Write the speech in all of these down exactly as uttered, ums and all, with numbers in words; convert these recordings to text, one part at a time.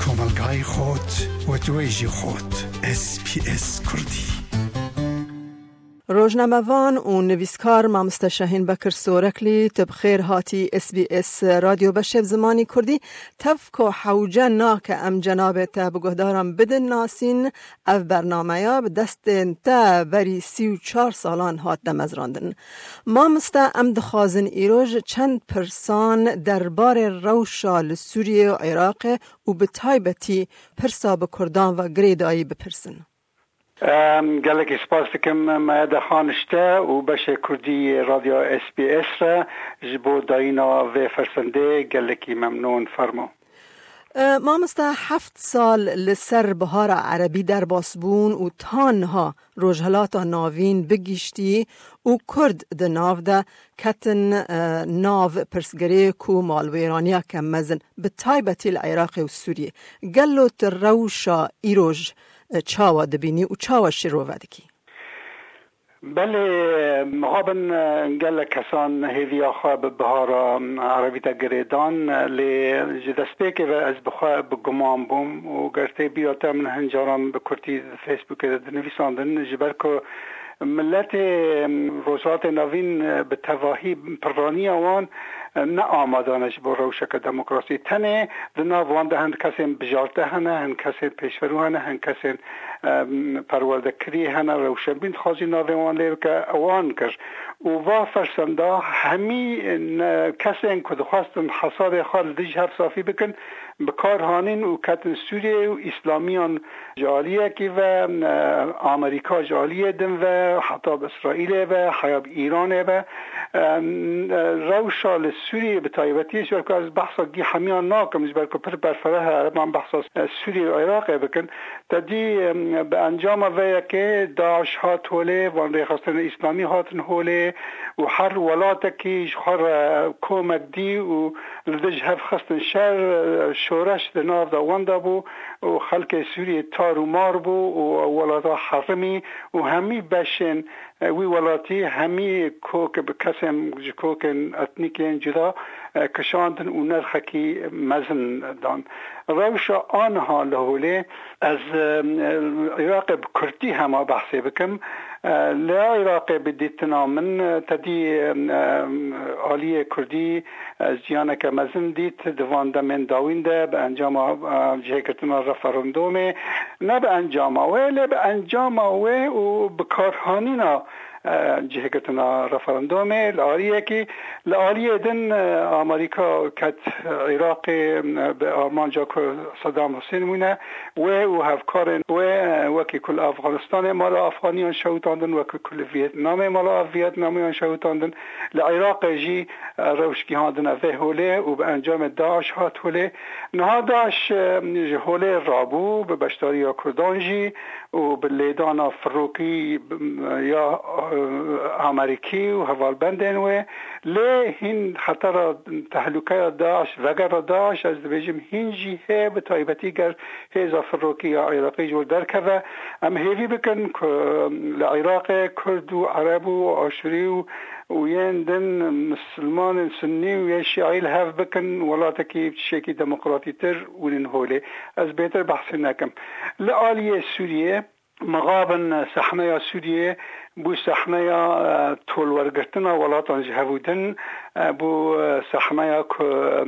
Komelgayê xot, wetwêjî xot, S B S Kurdî. Rojnamevan û nivîskar mamoste Şahîn Bekir Soreklî, tu bi xêr hatî S B S Radyo Beşê bi zimanî Kurdî. Tev ku hewce nake em cenabê te bi guhdaran bidin nasîn, ev bernameya bi destên te berî sî û çar salan hat demezrandin. Mamoste, em dixwazin îroj çend pirsan derbarê rewşa li Sûriyê û Iraqê û bi taybetî pirsa bi Kurdan ve girêdayî bipirsin. Em, gelekî spas dikim Mehede Xanişte û beşê Kurdî yê Radyo S B S re ji bo dayîna vê fersendê gelekî memnûn. Fermo. E, mamoste, heft sal li ser Bihara Erebî derbas bûn û ta niha Rojhilata Navîn bigiştî û Kurd di nav de ketin, e, nav pirsgirêk û malwêraniyeke mezin, bi taybetî li Iraqê û Sûriyê. Gelo tu rewşa îroj, e, çawa dibînî û çawa şirove dikî? Belê, mixabin, e, gelek kesan hêviya xwe bi bihara, e, erebî de girêdan, e, lê ji destpêkê ve ez bi xwe bi guman bûm û ger tê bîra te min hin caran bi kurtî di Facebookê de dinivîsandin, ji ber ku miletê, e, Rojhilatê Navîn, e, bi tevahî pirraniya wan, e, ne amade ne ji bo rewşeke demokrasî. Tenê di nav wan de hin kesên bijarte hene, hin kesên pêşverû hene, hin kesên, e, perwerdekirî hene, rewşenbîr dixwazî navê wan lê bike, wan kir. Û va fersenda hemî, e, kesên ku dixwestin hesabê xwe li dijî hev safî bikin, bi kar hanîn û ketin Sûriyeyê û îslamiyan ji aliyekî ve, e, Amerîka ji aliyê din ve, heta bi Îsraîlê ve, heya bi Îranê ve. E, e, rewşa li Sûriyê bi taybetî, ji ber ku ez behsa gî hemiyan nakim, ji ber ku pir berfireh e, ereban behsa, e, Sûriyê û Iraqê bikin. Te dî, e, bi encama vê yekê DAIŞ hat holê, van rêxistinên îslamî hatin holê û her welatekî ji xwe re komek dî û li dij hev xistin şer, e, şoreş di nav de wenda bû û xelkê Sûriyê tar û mar bû û welata herimî û hemî beşên, e, wî welatî, hemî kok bi kesên ji kokên etnîkên cuda, e, kişandin û nerxekî mezin dan. Rewşa aniha li holê ez, e, Iraqê bi kurtî hema behsê bikim. E, li Iraqê bi dîtina min, e, te dî, e, aliyê Kurdî, e, jiyaneke mezin dît di van demên dawîn de bi encama, e, cihêgirtina referandumê, ne bi encama wê, lê bi encama wê û bi karhanîna, e, cihêgirtina referandumê li aliyekî, li aliyê din, e, Amerîka ket Iraqê, e, bi armanca ku Saddam Hussein wîne, wê û hevkarên wê, e, wekî ku li Afganistanê mala Afganiyan şewitandin, wekî ku li Vietnamê mala Vietnamiyan şewitandin, li Iraqê jî, e, rewş gihandine vê holê û bi encamê DAIŞ hat holê. Niha DAIŞ, e, ji holê rabû, bi beşdariya Kurdan jî û bi lêdana firokî, e, ya, e, Amerîkî û hevalbendên wê. Lê hîn xetera, tehlûkeya DAIŞ, vegera DAIŞ, ez dibêjim hîn jî hê, bi taybetî ger hêza firokî ya Iraqê ji wir derkeve. Em hêvî bikin ku li Iraqê Kurd û Ereb û Aşûrî û, û yên din, misilmanên Sunnî û yê Şîî li hev bikin, welatekî bi tiştekî demokratîtir wînin holê. Ez bêtir behsê nekim. Li aliyê Sûriyê, mixabin sehneya Sûriyê bû sehneya, e, tolwergirtina welatan ji hev û din, e, bû, e, sehneya ku, e,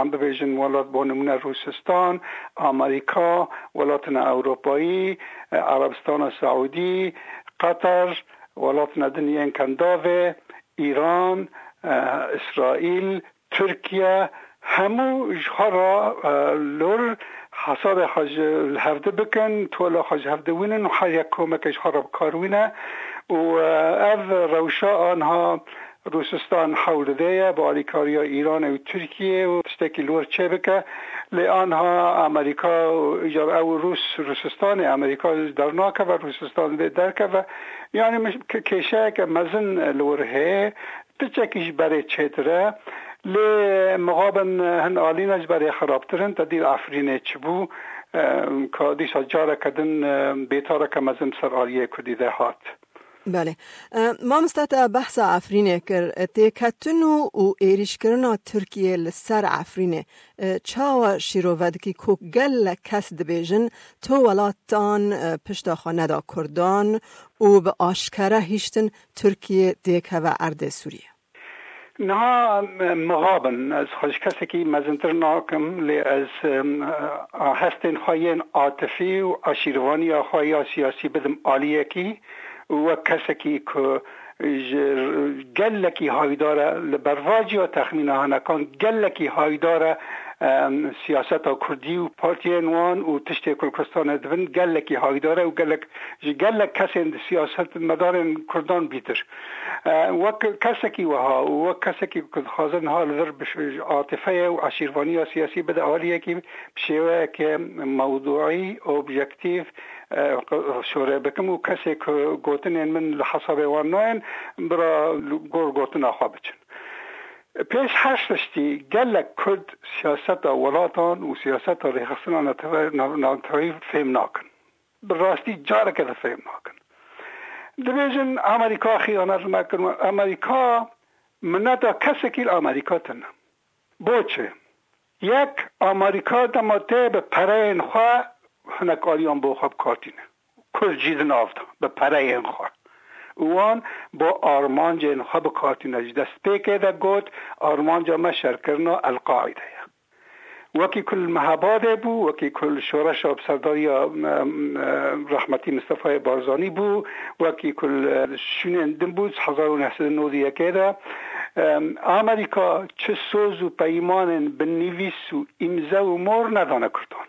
em bibêjin welat bo nimûne Rûsistan, Amerîka, welatine Ewropayî, e, Erebistana Seûdî, Qeter, welatine din yên Kendavê, Îran, e, Îsraîl, Tirkiye, hemû ji xwe re, e, li wir hesabê xwe ji li hevdi bikin, tola xwe ji hevdi wînin û her yek komeke ji xwe re bi kar wîne. Û, e, ev rewşa anha Rûsistan hewl dide ye bi alîkariya Îranê û Tirkiyê û tiştekî li wir çêbike. Lê anha Amerîka û îcar ew Rûs, Rûsistanê Amerîka dernakeve, Rûsistan vê derkeve. Yanî min ke-, kêşeyeke mezin li wir heye. Piçekî ji berê çêtir e. Lê mixabin hin alîne ji berê xirabtir in. Te dî li Efrînê çi bû, e, ka dîsa careke din, e, bêtareke mezin bi ser aliyê Kurdî de hat. Belê. E, mamoste, te behsa Efrînê kir. E, têketin û, û êrîşkirina Tirkiyê li ser Efrînê, e, çawa şîrove dikî ku gelek kes dibêjin, tu welatan, e, pişta xwe neda Kurdan û bi aşkere hiştin Tirkiyê têkeve erdê Sûriyê? Niha, em, mixabin, ez xwe ji kesekî mezintir nakim, lê ez, em, a, hestên xwe yên atifî û aşîrvaniya xwe ya siyasî bidim aliyekî û wek kesekî ku ji gelekî hayîdar e, li bervaciya texmîna hinekan gelekî hayîdar e, em, siyaseta Kurdî û partiyên wan û tiştê ku li Kurdistanê dibin gelekî hayîdar e û gelek, ji gelek kesên di siyasetmedarên Kurdan bîtir. E, wek kesekî wiha û wek kesekî ku dixwaze niha li vir bi ş-, atifeyê û aşîrvaniya siyasî bide aliyekî bi şêweyeke mewdûî, objektîf, e, şore bikim û kesê ku gotinên min li hesabê wan nayên, bira li gor gotina xwe biçin. Pêş her tiştî gelek Kurd siyaseta welatan û siyaseta rêxistina netewe-, nav-, navneteweyî fêm nakin. Bi rastî careke de fêm nakin. Dibêjin, Amerîka xiyanet li me kir. Amerîka, mineta kesekî li Amerîka tune. Bo çi? Yek, Amerîka dema tê bi pereyên xwe hinek aliyan bo xwe bi kar tîne. Kurd jî di nav de, bi pereyên xwe. Û wan bo armancên xwe bi kar tîne. Ji destpêkê de got, armanca me şerkirina El-Qaîde ye. Wekî ku li Mehabadê bû, wekî ku li şoreşa bi serdariya, em, em, rehmetî Mistefayê Barzanî bû, wekî ku li şûnên din bû, hezar û neh sed û nod û yekê de, em, Amerîka çi soz û peymanên bi nivîs û îmze û mor nedane Kurdan.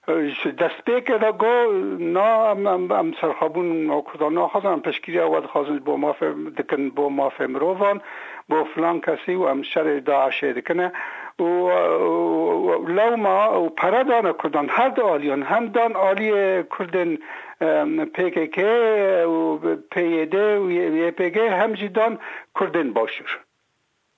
Ji destpêkê de got, na, em, em, em serxwebûn Kurdan naxwazin, em piştgiriya we dixwazin ji bo mafê, dikin bo mafê mirovan, bo filan kesî û em şerê DAIŞê dikine. Û, û, û lewma û pere dane Kurdan, her du aliyan, hem dan aliyê Kurdên, em, P K K û P Y D û Y P G, hem jî dan Kurdên Başûr.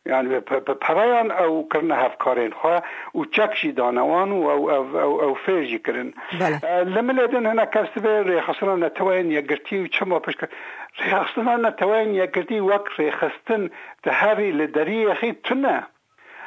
Yani bi, bi, bi pereyan ew kirine hevkarên xwe û çek jî dane wan û ew, ew, ew, ew fêr jî kirin. Belê. E, li milê din hinek kes dibê rêxistina neteweyên yekgirtî û çima pişt, rêxistina neteweyên yekgirtî wek rêxistin di herî li deriyê xî tune.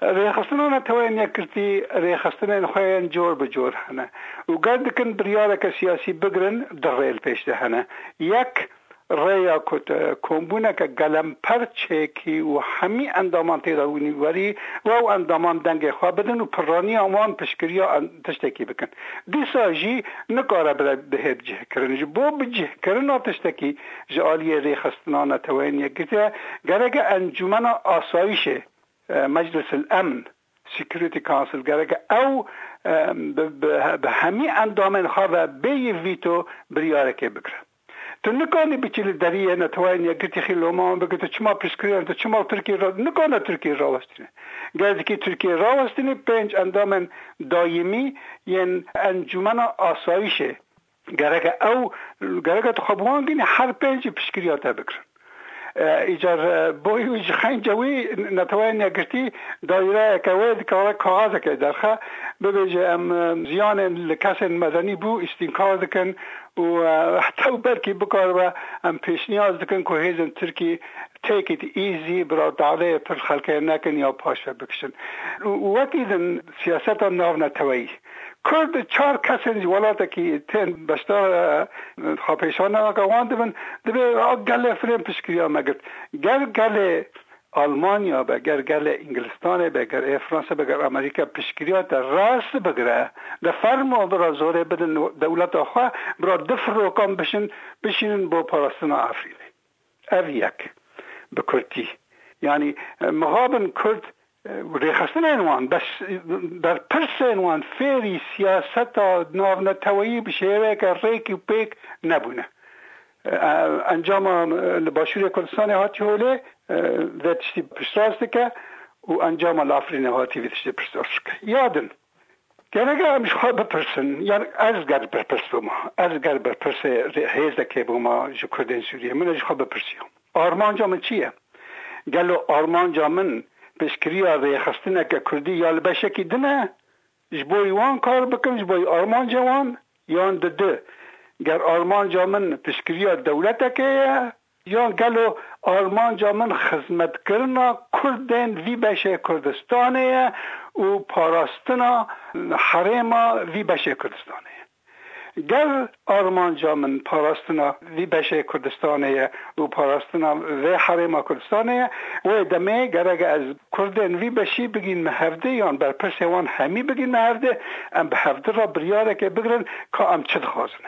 Rêxistina neteweyên yekgirtî rêxistinên xwe yên cor bi cor hene û ger dikin biryareke siyasî bigirin, du rê li pêş de hene. Yek, rêya ku te kombûneke gelemper çêkî û hemî endaman tê de wînî werî, we û endaman dengê xwe bidin û pirraniya wan piştgiriya en-, tiştekî bikin. Dîsa jî nikare bire bihê bicihkirin. Ji bo bicihkirina tiştekî ji aliyê rêxistina neteweyên yekgirtî, gereke Encûmena Asayîşê, e, Meclis el Emn, Security Council, gereke ew, e, bi, bi, bi hemî endamên xwe ve bêyî vîto biryarekê bigire. Tu nikanî biçî li deriyê neteweyên yekgirtî xî loma wan bike, tu çima piştgiriyan, tu çima Tirkiyê ra-, nikane Tirkiyê rawestîne. Ger dikî Tirkiyê rawestînî, pênc endamên dayîmî yên Encûmena Asayîşê, gereke ew, gereke tu xwe bi wan ginî, her pênc jî piştgiriya te bigirin. E, îcar, e, boyî wî ji xeynca wî neteweyên yekgirtî daîreyeke wê dikare kaxezekê derxe, bibêje, em, e, ziyanên li kesên medenî bû îstînkar dikin û, e, heta û belkî bikaribe em pêşniyaz dikin ku hêzên Tirkî take it easy, bira dadeyê pir xelkê nekin ya paşve bikişin. Û, û wekî din siyaseta navneteweyî. Kurd çar kesên ji welatekî tên beşdar, e, xwepêşandaneke wan dibin, dibê a gelê firên piştgiriya me girt. Ger gelê Almanya be, ger gelê Îngilistanê be, ger ê Fransa be, ger Amerîka piştgiriya te rast bigire, de fermo bira zorê bidin dewleta xwe, bira du firokan bişin, bişînin bo parastina Efrînê. Ev yek. Bi kurtî. Yanî, e, mixabin Kurd, e, rêxistinên wan, bes, e, berpirsên wan fêrî siyaseta navneteweyî bi şêweyeke rêk û pêk nebûne. E, encama, e, li Başûrê Kurdistanê hatî holê, e, vê tiştî piştrast dike û encama li Efrînê hatî vê tiştî piştrast dike. Ya din, Gerek e em ji xwe bipirsin, yan ez ger berpirs bûma, ez ger berpirsê rê-, hêzekê bûma ji Kurdên Sûriyê, min ji xwe bipirsiya. Armanca min çi ye? Gelo armanca min piştgiriya rêxistineke Kurdî ya li beşekî din e, ji bo wan kar bikim, ji bo armanca wan, yan di du, ger armanca min piştgiriya dewletekê ye, Yan gelo armanca min xizmetkirina Kurdên vî beşê Kurdistanê ye û parastina herêma vî beşê Kurdistanê ye? Ger armanca min parastina vî beşê Kurdistanê ye û parastina vê herêma Kurdistanê ye, wê demê gerek ez Kurdên vî beşî bigînme hevdê yan berpirsê wan hemî bigînme hevdê, em bi hevdi re biryareke bigirin ka em çi dixwazin.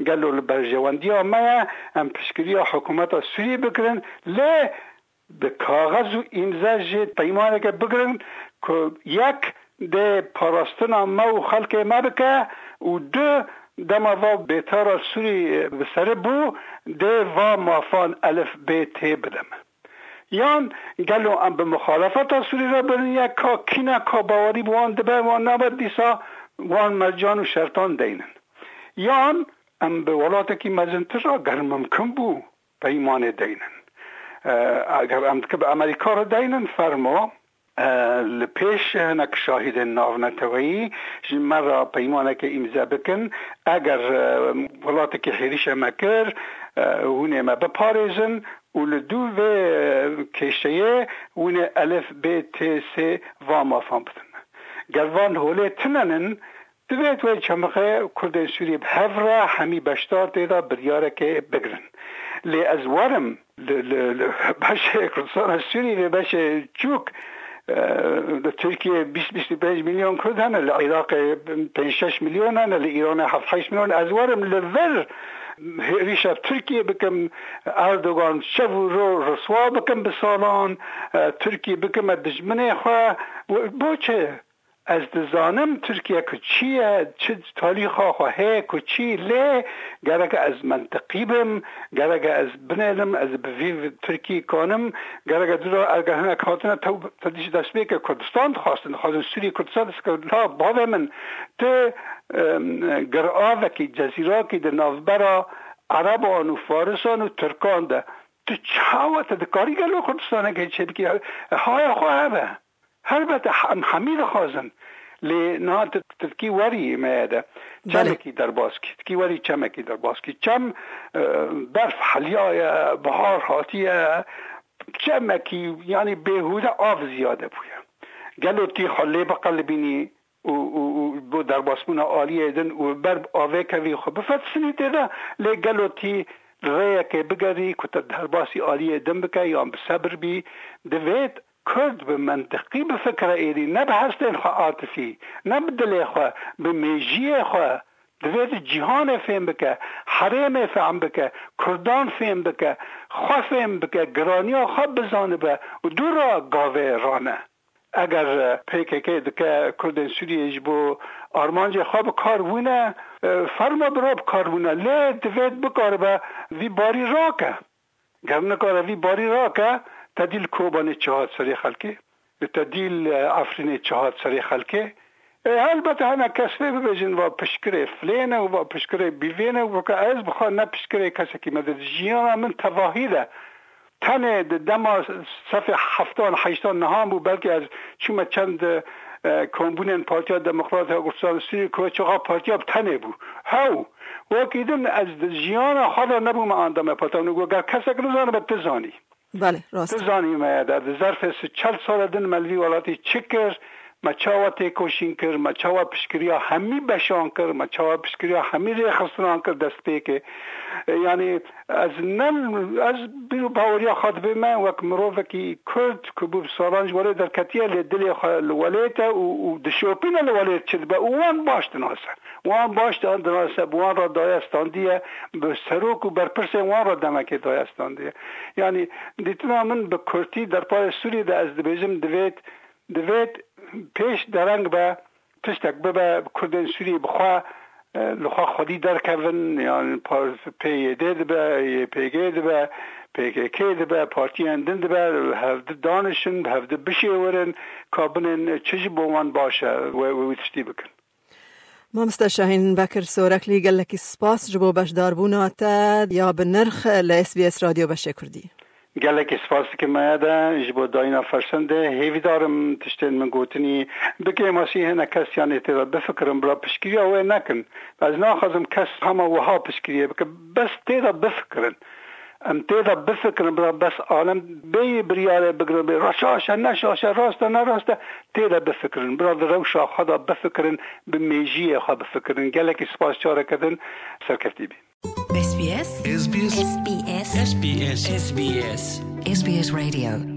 Gelo li berjewendiya me ye em piştgiriya hikûmeta Sûriyê bikirin, lê bi kaxez û îmze jî peymaneke bigirin ku yek dê parastina me û xelkê me bike û du dema va bêtara Sûrî bi serê bû dê va mafan elif bê tê bide me. Yan gelo em bi muxalefeta Sûrî re birin yek ka kî ne ka bawerî bi wan dibe wan nabe dîsa wan mercan û şertan deynin. Yan em bi welatekî mezintir re ger mimkin bû peymanê deynin. E, eger em dike bi Amerîka re deynin fermo, e, li pêş hinek şahidên navneteweyî ji me re peymaneke îmze bikin. Eger, e, welatekî hêrîşe me kir, e, hûn ê me biparêzin û li dû vê, e, kêşeyê hûn ê elif bê tê sê va mafan bidin me. Ger van holê tine nin, divêt wê çemixê Kurdên Sûriyê bi hev re hemî beşdar tê de biryarekê bigirin. Lê ez werim li, li, li beşê Kurdistana Sûrî vê beşê çûk, e, li Tirkiye bîst bîst û pênc milyon Kurd hene, li Iraqê pênc şeş milyon hene, li Îranê heft heşt milyon. Ez werim li vir hêrîşa Tirkiye bikim, Erdogan şev û ro riswa bikim bi salan, e, Tirkiye bikime dijminê xwe. Bo çi? Ez dizanim Tirkiye ku çi ye, çi talîxa xwe heye ku çi, lê gerek ez mentiqî bim, gerek ez binêrim, ez bi vî Tirkî kanim, gerek dûra eger hinek hatine tew-, tedîş destpêke Kurdistan dixwastin, dixwazin Sûrî Kurdistan destpêke. La bavê min, tu, em, giravekî, cezîrakî di navbera Ereban û Farisan û Tirkan de, tu çawa te dikarî gelo Kurdistaneke çêbikî? Haya xwe hebe. Helbet em hemî dixwazin. Lê niha tu, tu dikî werî me ye de. Belê. Çemekî derbas kî. Dikî werî çemekî derbas kî. Çem, e, berf heliyaye, bihar hatiye. Çemekî, yanî bêhûde av ziyade bûye. Gelo tî xwe lê biqelibînî û, û, û bo derbasbûna aliyê din û ber avê kevî xwe bifetisînî tê de, lê gelo tî li rêyekê bigerî ku te derbasî aliyê din bike yan bi sebir bî, divêt Kurd bi mentiqî bifikire êdî, ne bi hestên xwe atifî, ne bi dilê xwe, bi mêjiyê xwe. Divêt cîhanê fêm bike, herêmê fêm bike, Kurdan fêm bike, xwe fêm bike, giraniya xwe bizanibe û dû re gavê rane. Eger P K K dike Kurdên Sûriyê ji bo armancê xwe bi kar bûne, e, ferma bi re bi kar bûne, lê divêt bikaribe vî barî rake. Ger nikare vî barî rake, te dî li Kobanê çi hat serê xelkê, te dî li Efrînê çi hat serê xelkê. E, helbet hene kes vê bibêjin, va pişkirê filê ne û va pişkirê bîvê ne û weke ez bi xwe ne pişkirê kesekî me de di jiyana min tevahî de tenê di dema sefê heftan heştan nihan bû, belkî ez çûme çend, e, kombûnên Partiya Demokrat ya Kurdistan Sûriyê ku çaxa partiya bi tenê bû. Hew, wekî din ez di jiyana xwe de nebûme endamê partiya min. Got, ger kesek nizanibe, tu zanî. Belê, rast. Tu zanî me de, di zerfê si çel sala din me li vî welatî çi kir, me çawa têkoşîn kir, me çawa piştgiriya hemî beşan kir, me çawa piştgiriya hemî rêxistinan kir destpêkê. E, yanî ez ne, ez bîr û baweriya xwe dibê me wek mirovekî Kurd ku bû bi salan ji welê derketiye, lê dilê xwe li welêt e û, û dişopîne li welêt çi dibe û wan baş dinase. Wan baş dinase, bi wan re daye standiye, bi serok û berpirsên wan re demekê daye standiye. Yanî dîtina min bi kurtî derbarê Sûriyê de ez dibêjim, divêt, divêt pêş dereng be, tiştek bibe, Kurdên Sûriyê bi xwe, e, li xwe xwedî derkevin, yan par-, P Y D dibe, Y P G dibe, P K K dibe, partiyên din dibe, bi hevdi danişin, bi hevdi bişêwirin, ka binên çi ji bo wan baş e, wê, wê, wî tiştî bikin. Mamoste Şahîn Bekir Soreklî, gelekî spas ji bo beşdarbûna te ya bi nirx li S B S Radyo Beşê Kurdî. Gelekî spas dikim me de ji bo dayîna fersendê. Hêvîdar im tiştên min gotinî bi kêmasî hinek kes yanê tê de bifikirin, bila piştgiriya wê nekin. Ez naxwazim kes hema wiha piştgiriyê bike, bes tê de bifikirin. Em tê de bifikirin, bira bes alem bêyî biryarê bigirin, bê re şaş e, ne şaş e, rast e, ne rast e, tê de bifikirin. Bira di rewşa xwe de bifikirin, bi mêjiyê xwe bifikirin. Gelekî spas, careke din serkeftî bî. S B S. S B S. S B S. S B S. S B S. S B S Radio.